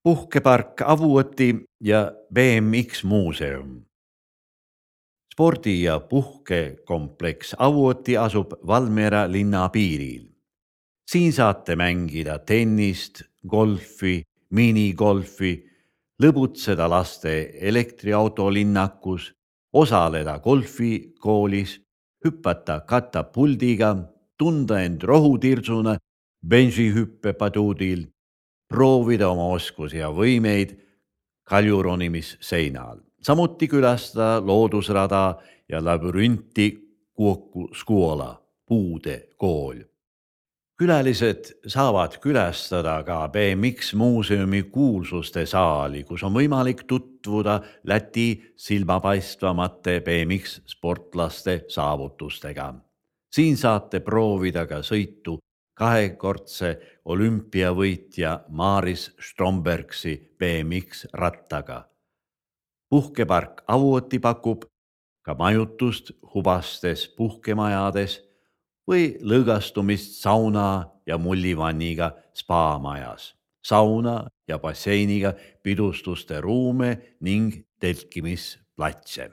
Puhkepark Avuoti ja BMX muuseum. Spordi- ja puhkekompleks Avuoti asub Valmiera linna piiril. Siin saate mängida tennist, golfi, minigolfi, lõbutseda laste elektriautolinnakus, osaleda golfikoolis, hüpata katapuldiga, tunda end rohutirsuna bensihüppepaduudil, proovida oma oskusi ja võimeid kaljuronimisseinal. Samuti külastada loodusrada ja labürünti Kuoku Skuola, puude kool. Külalised saavad külastada ka BMX muuseumi kuulsuste saali, kus on võimalik tutvuda Läti silmapaistvamate BMX sportlaste saavutustega. Siin saate proovida ka sõitu kahekordse olümpiavõitja Maris Strombergsi BMX rattaga. Puhkepark Avuoti pakub ka majutust hubastes puhkemajades või lõõgastumist sauna ja mullivanniga spaamajas, sauna ja basseiniga pidustuste ruume ning telkimisplatse.